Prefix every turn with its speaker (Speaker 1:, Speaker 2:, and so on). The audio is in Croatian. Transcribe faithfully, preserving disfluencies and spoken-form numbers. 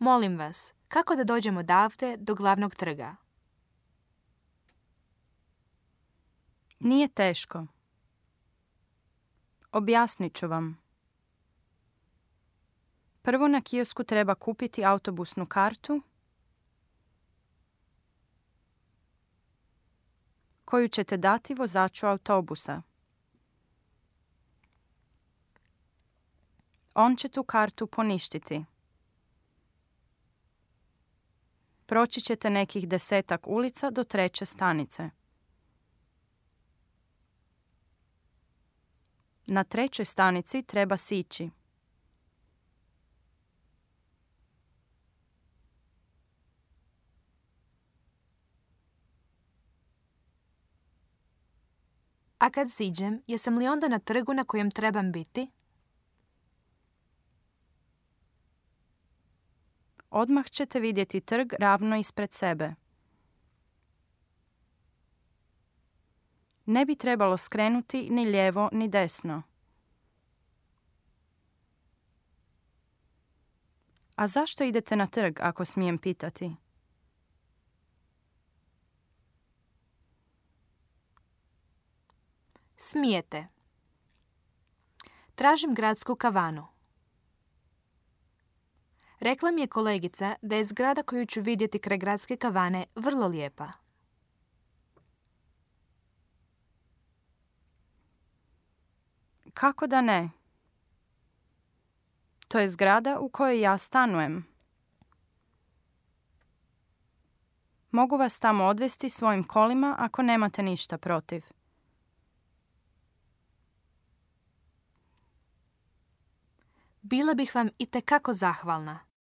Speaker 1: Molim vas, kako da dođemo odavde do glavnog trga?
Speaker 2: Nije teško. Objasnit ću vam. Prvo na kiosku treba kupiti autobusnu kartu koju ćete dati vozaču autobusa. On će tu kartu poništiti. Proći ćete nekih desetak ulica do treće stanice. Na trećoj stanici treba sići.
Speaker 1: A kad siđem, jesam li onda na trgu na kojem trebam biti?
Speaker 2: Odmah ćete vidjeti trg ravno ispred sebe. Ne bi trebalo skrenuti ni lijevo ni desno. A zašto idete na trg, ako smijem pitati?
Speaker 1: Smijete. Tražim gradsku kavanu. Rekla mi je kolegica da je zgrada koju ću vidjeti kraj gradske kavane vrlo lijepa.
Speaker 2: Kako da ne? To je zgrada u kojoj ja stanujem. Mogu vas tamo odvesti svojim kolima ako nemate ništa protiv.
Speaker 1: Bila bih vam itekako zahvalna.